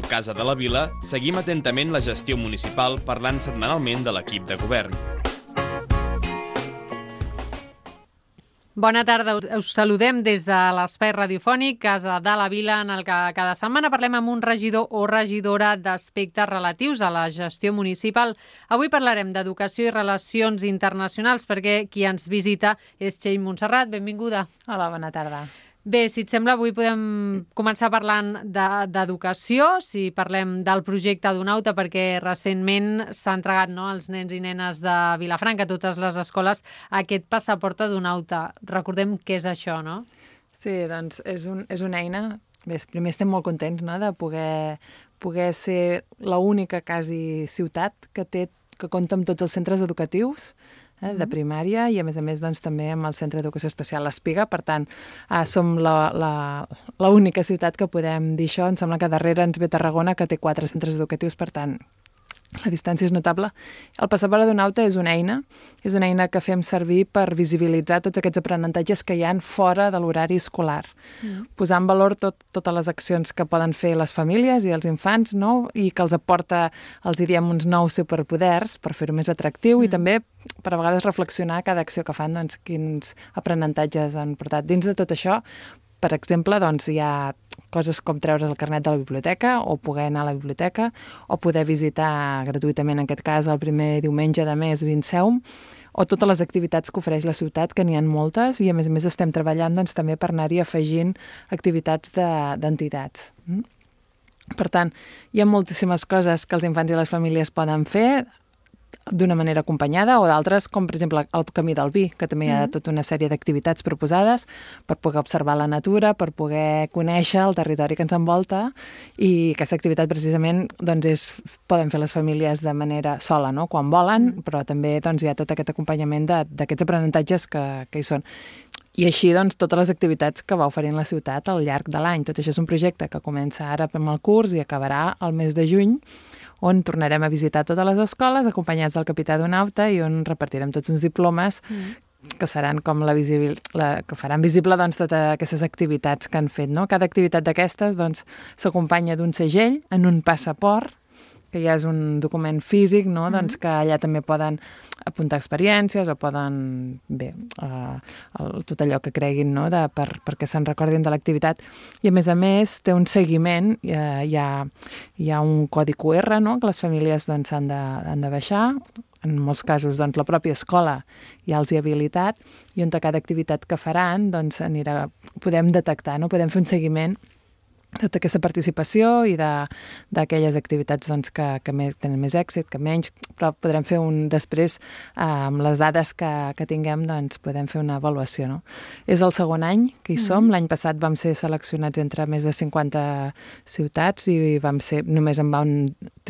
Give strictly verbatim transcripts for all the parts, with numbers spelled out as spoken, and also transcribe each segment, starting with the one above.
Al Casa de la Vila seguim atentament la gestió municipal parlant setmanalment de l'equip de govern. Bona tarda, us saludem des de l'espai radiofònic Casa de la Vila, en el que cada setmana parlem amb un regidor o regidora d'aspectes relatius a la gestió municipal. Avui parlarem d'educació i relacions internacionals, perquè qui ens visita és Txell Montserrat. Benvinguda. Hola, bona tarda. Bé, si et sembla, avui podem començar parlant d'educació, si parlem del projecte Donauta, perquè recentment s'ha entregat, no, als nens i nenes de Vilafranca, a totes les escoles, aquest passaport Donauta. Recordem què és això, no? Sí, doncs és, un, és una eina. Bé, primer estem molt contents, no?, de poder, poder ser l'única quasi ciutat que té que compta amb tots els centres educatius Eh, de primària i, a més a més, doncs, també amb el Centre d'Educació Especial l'Espiga. Per tant, eh, som l'única ciutat que podem dir això. Em sembla que darrere ens ve Tarragona, que té quatre centres educatius, per tant, la distància és notable. El passaport Donauta és una eina, és una eina que fem servir per visibilitzar tots aquests aprenentatges que hi ha fora de l'horari escolar. Mm. Posar en valor tot, totes les accions que poden fer les famílies i els infants, no?, i que els aporta, els diríem, uns nous superpoders per fer-ho més atractiu mm. i també per a vegades reflexionar cada acció que fan, doncs, quins aprenentatges han portat. Dins de tot això, per exemple, doncs, hi ha coses com treure's el carnet de la biblioteca o poder anar a la biblioteca o poder visitar gratuïtament, en aquest cas, el primer diumenge de mes Vinceum, o totes les activitats que ofereix la ciutat, que n'hi ha moltes, i a més a més estem treballant, doncs, també per anar-hi afegint activitats d'entitats. De, per tant, hi ha moltíssimes coses que els infants i les famílies poden fer d'una manera acompanyada, o d'altres, com per exemple el Camí del Vi, que també hi ha tota una sèrie d'activitats proposades per poder observar la natura, per poder conèixer el territori que ens envolta, i aquesta activitat precisament doncs és, poden fer les famílies de manera sola, no?, quan volen, mm. però també doncs, hi ha tot aquest acompanyament d'aquests aprenentatges que, que hi són. I així, doncs, totes les activitats que va oferint la ciutat al llarg de l'any. Tot això és un projecte que comença ara amb el curs i acabarà el mes de juny, on tornarem a visitar totes les escoles acompanyats del capità Donauta i on repartirem tots uns diplomes mm. que seran com la visibil, la, que faran visible, doncs, totes aquestes activitats que han fet, no? Cada activitat d'aquestes, doncs, s'acompanya d'un segell en un passaport, que ja és un document físic, no?, mm. doncs, que allà també poden apuntar experiències o poden, bé, uh, el, tot allò que creguin, no?, de, per, perquè se'n recordin de l'activitat. I, a més a més, té un seguiment, hi ha, hi ha, hi ha un codi cu erre, no?, que les famílies, doncs, han de, han de baixar. En molts casos, doncs, la pròpia escola ja els hi ha habilitat, i on a cada activitat que faran, doncs, anirà, podem detectar, no?, podem fer un seguiment tota aquesta participació i d'aquelles activitats, doncs, que, que més, tenen més èxit, que menys, però podrem fer un després, eh, amb les dades que, que tinguem, doncs podem fer una avaluació, no? És el segon any que hi som. Mm-hmm. L'any passat vam ser seleccionats entre més de cinquanta ciutats i vam ser, només en van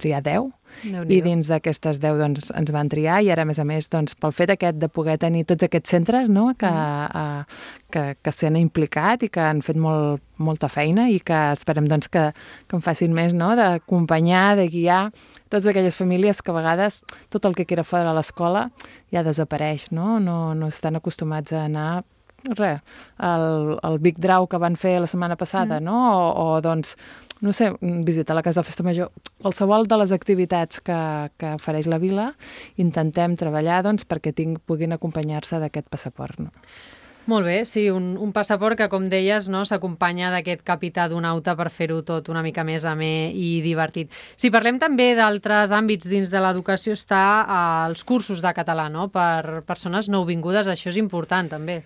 triar deu. I dins d'aquestes deu, doncs, ens van triar, i ara, a més a més, doncs, pel fet aquest de poder tenir tots aquests centres, no?, que, mm. uh, que, que s'han implicat i que han fet molt, molta feina, i que esperem, doncs, que, que en facin més, no?, d'acompanyar, de guiar totes aquelles famílies que a vegades tot el que queda fora de l'escola ja desapareix, no? No, no estan acostumats a anar res, el, el Big Draw que van fer la setmana passada, mm. no? O, o doncs, no sé, visitar la Casa de Festa Major, qualsevol de les activitats que, que ofereix la vila, intentem treballar, doncs, perquè tinc, puguin acompanyar-se d'aquest passaport, no? Molt bé, sí, un, un passaport que, com deies, no, s'acompanya d'aquest capità Donauta per fer-ho tot una mica més amè i divertit. Si parlem també d'altres àmbits dins de l'educació, està als cursos de català, no?, per persones nouvingudes. Això és important, també.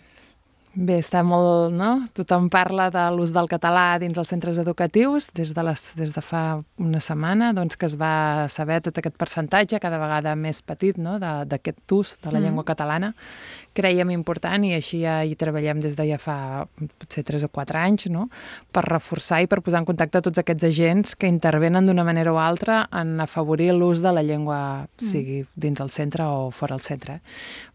Bé, està molt, no? Tothom parla de l'ús del català dins els centres educatius des de, les, des de fa una setmana, doncs, que es va saber tot aquest percentatge cada vegada més petit, no?, d'aquest ús de la mm. llengua catalana. Creiem important, i així ja hi treballem des de ja fa potser tres o quatre anys, no?, per reforçar i per posar en contacte tots aquests agents que intervenen d'una manera o altra en afavorir l'ús de la llengua, mm. sigui dins el centre o fora el centre.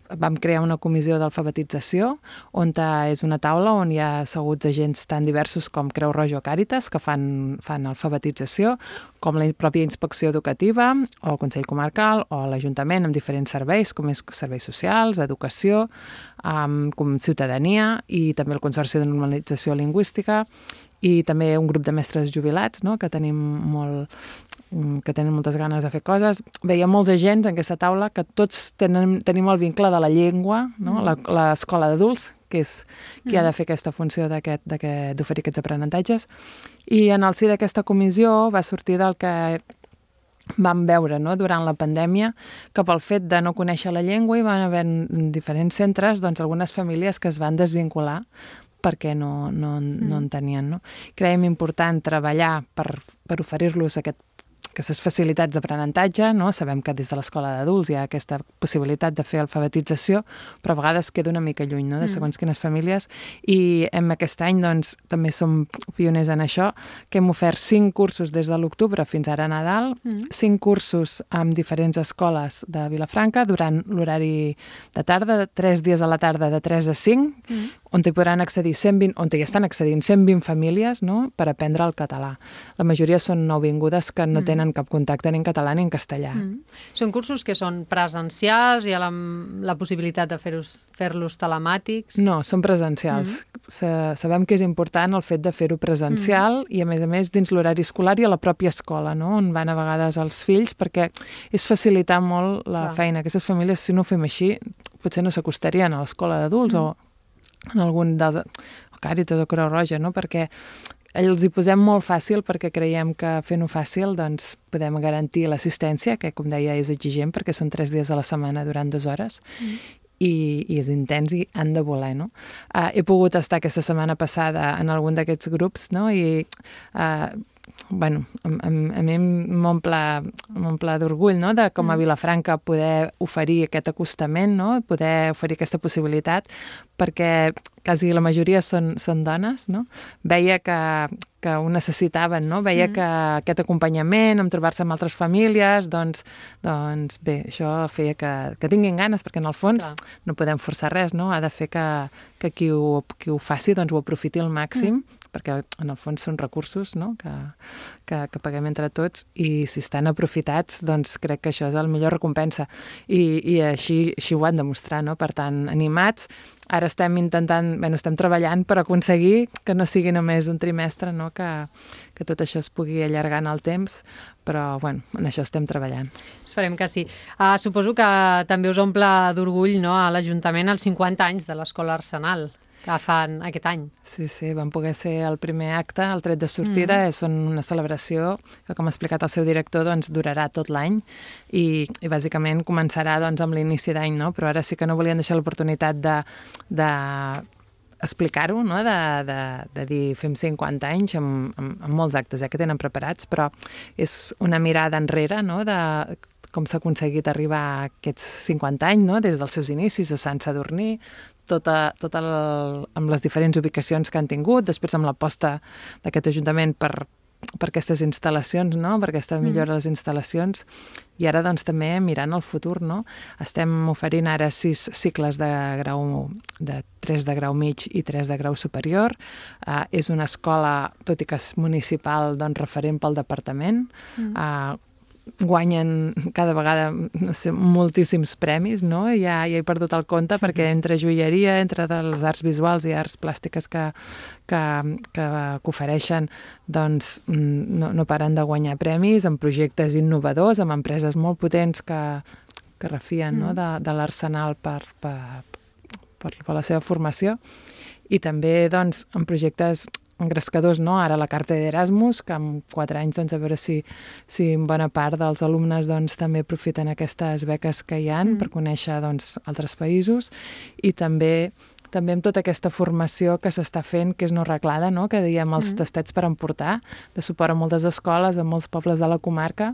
Vam crear una comissió d'alfabetització, on és una taula on hi ha asseguts agents tan diversos com Creu Roja o Càritas, que fan, fan alfabetització, com la pròpia inspecció educativa, o el Consell Comarcal, o l'Ajuntament, amb diferents serveis, com és serveis socials, educació, um, com ciutadania, i també el Consorci de Normalització Lingüística, i també un grup de mestres jubilats, no? que tenim molt que tenen moltes ganes de fer coses. Veia molts agents en aquesta taula que tots tenen, tenim el vincle de la llengua, no? mm. l'escola d'adults, que és qui mm. ha de fer aquesta funció d'oferir aquests aprenentatges. I en el si d'aquesta comissió va sortir del que vam veure, no? durant la pandèmia, que pel fet de no conèixer la llengua hi van haver en diferents centres doncs, algunes famílies que es van desvincular perquè no, no, no en tenien. No? Creiem important treballar per, per oferir-los aquest aquestes facilitats d'aprenentatge, no? Sabem que des de l'escola d'adults hi ha aquesta possibilitat de fer alfabetització, però a vegades queda una mica lluny, no? de segons quines famílies, i en aquest any doncs, també som pioners en això, que hem ofert cinc cursos des de l'octubre fins ara a Nadal, mm. cinc cursos amb diferents escoles de Vilafranca durant l'horari de tarda, tres dies a la tarda de tres a cinc, mm. on hi podran accedir cent vint, on hi estan accedint cent vint famílies, no? per aprendre el català. La majoria són nouvingudes que no mm. tenen cap contacte ni en català ni en castellà. Mm. Són cursos que són presencials, hi ha la, la possibilitat de fer-los fer-los telemàtics? No, són presencials. Mm. Sabem que és important el fet de fer-ho presencial mm. i, a més a més, dins l'horari escolar i a la pròpia escola, no? on van a vegades els fills, perquè és facilitar molt la Clar. feina. Aquestes famílies, si no ho fem així, potser no s'acostarien a l'escola d'adults mm. o en algun dels... o Càritas o Creu Roja, no? perquè els hi posem molt fàcil perquè creiem que fent-ho fàcil doncs, podem garantir l'assistència, que com deia és exigent perquè són tres dies a la setmana durant dues hores mm. i, i és intens i han de voler. No? Uh, he pogut estar aquesta setmana passada en algun d'aquests grups no? i uh, bueno, a, a, a mi m'omple d'orgull no? de com a Vilafranca poder oferir aquest acostament, no? poder oferir aquesta possibilitat, perquè quasi la majoria són, són dones, no? Veia que, que ho necessitaven, no? Veia mm. que aquest acompanyament, amb trobar-se amb altres famílies, doncs, doncs bé, això feia que, que tinguin ganes, perquè en el fons Clar. no podem forçar res, no? Ha de fer que, que qui, ho, qui ho faci doncs, ho aprofiti al màxim, mm. perquè en el fons són recursos no? que, que, que paguem entre tots i si estan aprofitats, doncs crec que això és la millor recompensa. I, i així, així ho han de mostrar, no? Per tant, animats. Ara estem intentant, bueno, estem treballant per aconseguir que no sigui només un trimestre, no? que, que tot això es pugui allargar en el temps, però bueno, en això estem treballant. Esperem que sí. Uh, suposo que també us omple d'orgull no? a l'Ajuntament els cinquanta anys de l'Escola Arsenal que fan aquest any. Sí, sí, vam poder ser el primer acte, el tret de sortida, mm. és una celebració que, com ha explicat el seu director, doncs durarà tot l'any i, i bàsicament començarà doncs, amb l'inici d'any, no? Però ara sí que no volien deixar l'oportunitat de, de explicar-ho, no? de, de, de dir fem cinquanta anys amb, amb, amb molts actes eh, que tenen preparats, però és una mirada enrere, no? de com s'ha aconseguit arribar a aquests cinquanta anys, no? Des dels seus inicis a Sant Sadurní, tota, tota el, amb les diferents ubicacions que han tingut, després amb l'aposta d'aquest Ajuntament per, per aquestes instal·lacions, no? per aquesta millora de les instal·lacions, i ara doncs també mirant el futur, no? Estem oferint ara sis cicles de grau, de tres de grau mig i tres de grau superior. Uh, és una escola, tot i que és municipal, doncs referent pel departament, mm. uh, guanyen cada vegada no sé, moltíssims premis, no? Ja, ja he perdut el compte perquè entre joieria, entre les arts visuals i arts plàstiques que, que, que, que ofereixen, doncs no, no paren de guanyar premis amb projectes innovadors, amb empreses molt potents que, que refien mm. no? de, de l'Arsenal per, per, per, per la seva formació i també doncs, en projectes engrescadors, no? Ara la carta d'Erasmus, que en quatre anys, doncs, a veure si, si en bona part dels alumnes doncs, també aprofiten aquestes beques que hi ha mm. per conèixer doncs, altres països i també també amb tota aquesta formació que s'està fent, que és no reglada, no? Que diem els mm. tastets per emportar, de suport a moltes escoles, a molts pobles de la comarca,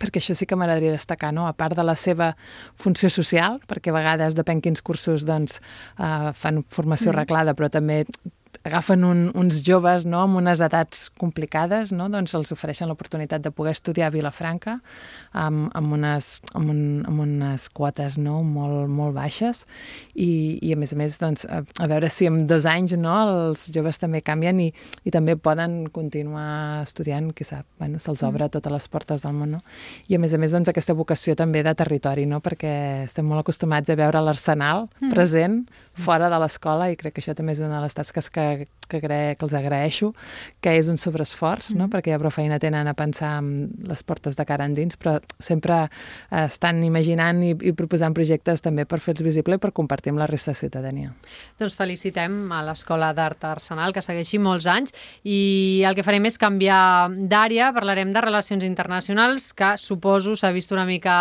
perquè això sí que m'agradaria destacar, no? A part de la seva funció social, perquè a vegades, depèn quins cursos, doncs, uh, fan formació mm. reglada, però també agafen un, uns joves no, amb unes edats complicades, no? Doncs els ofereixen l'oportunitat de poder estudiar a Vilafranca amb, amb, unes, amb, un, amb unes quotes no? molt, molt baixes i, i a més a més doncs, a, a veure si en dos anys no, els joves també canvien i, i també poden continuar estudiant, qui sap, bueno, se'ls obre totes les portes del món. No? I a més a més doncs, aquesta vocació també de territori, no? Perquè estem molt acostumats a veure l'Arsenal mm. present fora de l'escola i crec que això també és una de les tasques que que, agra que els agraeixo, que és un sobreesforç, no? Mm. perquè ja prou feina tenen a pensar en les portes de cara endins, però sempre eh, estan imaginant i, i proposant projectes també per fer-los visible i per compartir amb la resta de ciutadania. Doncs felicitem a l'Escola d'Art Arsenal, que segueixi molts anys, i el que farem és canviar d'àrea, parlarem de relacions internacionals, que suposo s'ha vist una mica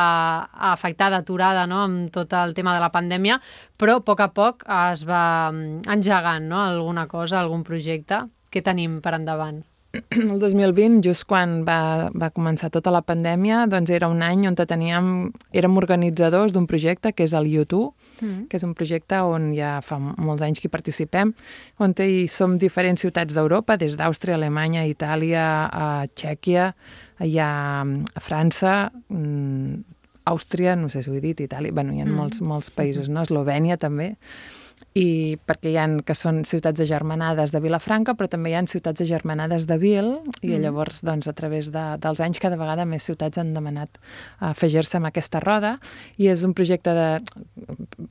afectada, aturada, no?, amb tot el tema de la pandèmia, però a poc a poc es va engegant, no?, alguna cosa, algun projecte. Què tenim per endavant? El dos mil vint, just quan va, va començar tota la pandèmia, doncs era un any on teníem, érem organitzadors d'un projecte que és el U dos, mm. que és un projecte on ja fa molts anys que hi participem, on hi som diferents ciutats d'Europa, des d'Àustria, Alemanya, Itàlia, a Txèquia, hi ha a França, Àustria, no sé si ho he dit, Itàlia, bueno, hi ha mm. molts, molts països, no? Eslovènia també, i perquè hi ha que són ciutats agermanades de Vilafranca, però també hi ha ciutats agermanades de Vil, i mm. llavors, doncs, a través de, dels anys, cada vegada més ciutats han demanat afegir-se amb aquesta roda, i és un projecte de,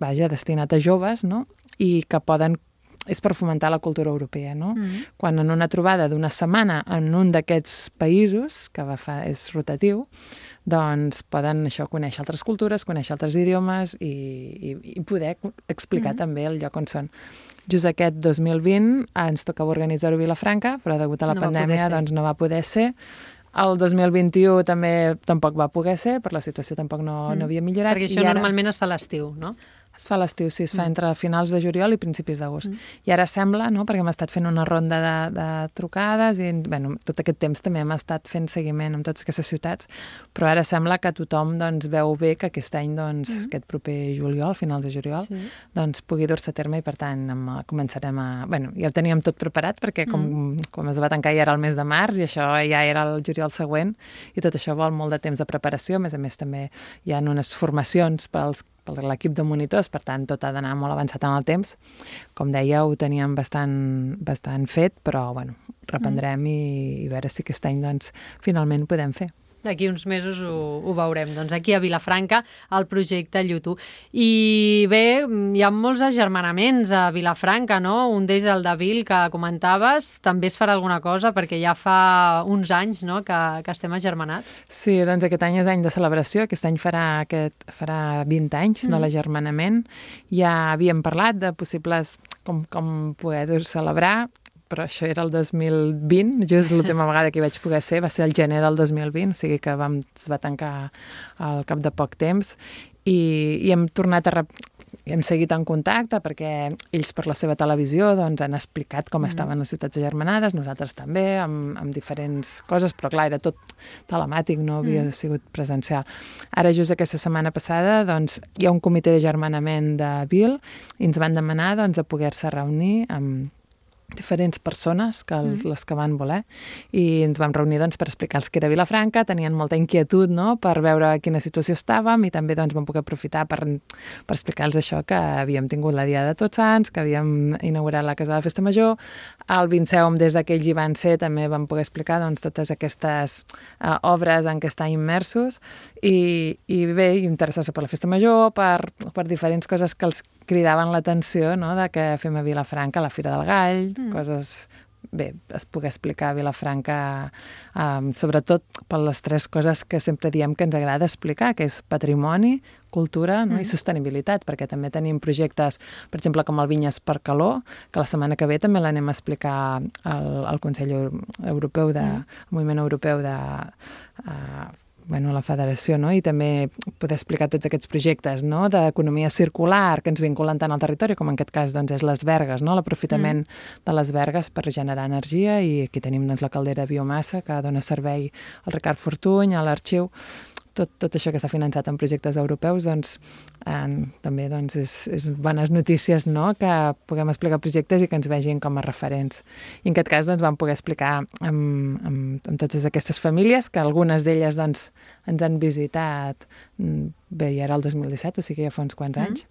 vaja, destinat a joves, no?, i que poden és per fomentar la cultura europea, no? Mm. Quan en una trobada d'una setmana en un d'aquests països, que va fa, és rotatiu, doncs poden això conèixer altres cultures, conèixer altres idiomes i, i, i poder explicar mm. també el lloc on són. Just aquest dos mil vint ens tocava organitzar-ho a Vilafranca, però degut a la no pandèmia doncs no va poder ser. El dos mil vint-i-u també tampoc va poder ser, per la situació tampoc no, mm. no havia millorat. Perquè això I ara... normalment es fa a l'estiu, no? Es fa a l'estiu, sí, es fa mm. entre finals de juliol i principis d'agost. Mm. I ara sembla, no?, perquè hem estat fent una ronda de, de trucades i, bueno, tot aquest temps també hem estat fent seguiment en totes aquestes ciutats, però ara sembla que tothom, doncs, veu bé que aquest any, doncs, mm. aquest proper juliol, finals de juliol, sí. doncs, pugui dur-se a terme i, per tant, amb, començarem a... Bueno, ja ho teníem tot preparat perquè com, mm. com es va tancar ja era el mes de març i això ja era el juliol següent i tot això vol molt de temps de preparació. A més a més, també hi ha unes formacions per als per l'equip de monitors, per tant, tot ha d'anar molt avançat en el temps. Com deia, ho teníem bastant, bastant fet, però, bueno, reprendrem mm. i, i veure si aquest any, doncs, finalment podem fer. D'aquí uns mesos ho, ho veurem. Doncs aquí a Vilafranca, el projecte U dos. I bé, hi ha molts agermanaments a Vilafranca, no? Un d'ells, el de Vil, que comentaves, també es farà alguna cosa, perquè ja fa uns anys, no?, que, que estem agermanats. Sí, doncs aquest any és any de celebració, aquest any farà, aquest, farà vint anys mm. de l'agermanament. Ja havíem parlat de possibles com, com poder celebrar, però això era el dos mil vint, just l'última vegada que hi vaig poder ser, va ser el gener del dos mil vint, o sigui que vam, es va tancar al cap de poc temps, i, i hem tornat a... Rep... hem seguit en contacte perquè ells per la seva televisió doncs, han explicat com mm. estaven les ciutats agermanades, nosaltres també, amb, amb diferents coses, però clar, era tot telemàtic, no havia mm. sigut presencial. Ara, just aquesta setmana passada, doncs, hi ha un comitè d'agermanament de Vil i ens van demanar doncs, a poder-se reunir amb diferents persones, que els, mm. les que van voler, i ens vam reunir doncs, per explicar-los que era Vilafranca, tenien molta inquietud, no?, per veure quina situació estàvem, i també doncs, vam poder aprofitar per, per explicar-los això, que havíem tingut la Dia de Tots Sants, que havíem inaugurat la Casa de la Festa Major, el vint-i-set des d'aquells hi van ser, també vam poder explicar doncs, totes aquestes uh, obres en què estan immersos, i, i bé, interessar-se per la Festa Major, per, per diferents coses que els cridaven l'atenció, no?, de que fem a Vilafranca la Fira del Gall, mm. coses... Bé, es pugui explicar a Vilafranca, um, sobretot per les tres coses que sempre diem que ens agrada explicar, que és patrimoni, cultura, no? mm. i sostenibilitat, perquè també tenim projectes, per exemple, com el Vinyes per Calor, que la setmana que ve també l'anem a explicar al, al Consell Europeu, de, mm. el Moviment Europeu de... Uh, bueno, la federació, no? I també poder explicar tots aquests projectes, no?, d'economia circular que ens vinculen tant al territori, com en aquest cas doncs, és les vergues, no?, l'aprofitament mm. de les vergues per generar energia, i aquí tenim doncs, la caldera de biomassa que dona servei al Ricard Fortuny, a l'Arxiu. Tot, tot això que està finançat en projectes europeus, doncs, eh, també doncs, és, és bones notícies, no?, que puguem explicar projectes i que ens vegin com a referents. I en aquest cas doncs, vam poder explicar amb, amb, amb totes aquestes famílies, que algunes d'elles doncs, ens han visitat, bé, ja era el dos mil disset, o sigui ja fa uns quants mm. anys,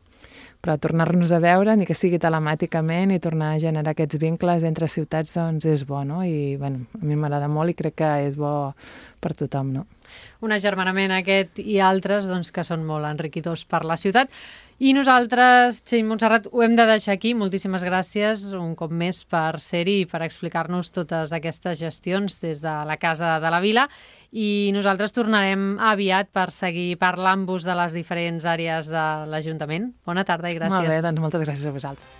però tornar-nos a veure, ni que sigui telemàticament, i tornar a generar aquests vincles entre ciutats, doncs és bo, no? I bueno, a mi m'agrada molt i crec que és bo per tothom, no? Un agermanament aquest i altres doncs, que són molt enriquidors per la ciutat. I nosaltres, Txell Montserrat, ho hem de deixar aquí. Moltíssimes gràcies un cop més per ser-hi i per explicar-nos totes aquestes gestions des de la Casa de la Vila. I nosaltres tornarem aviat per seguir parlant-vos de les diferents àrees de l'Ajuntament. Bona tarda i gràcies. Molt bé, doncs moltes gràcies a vosaltres.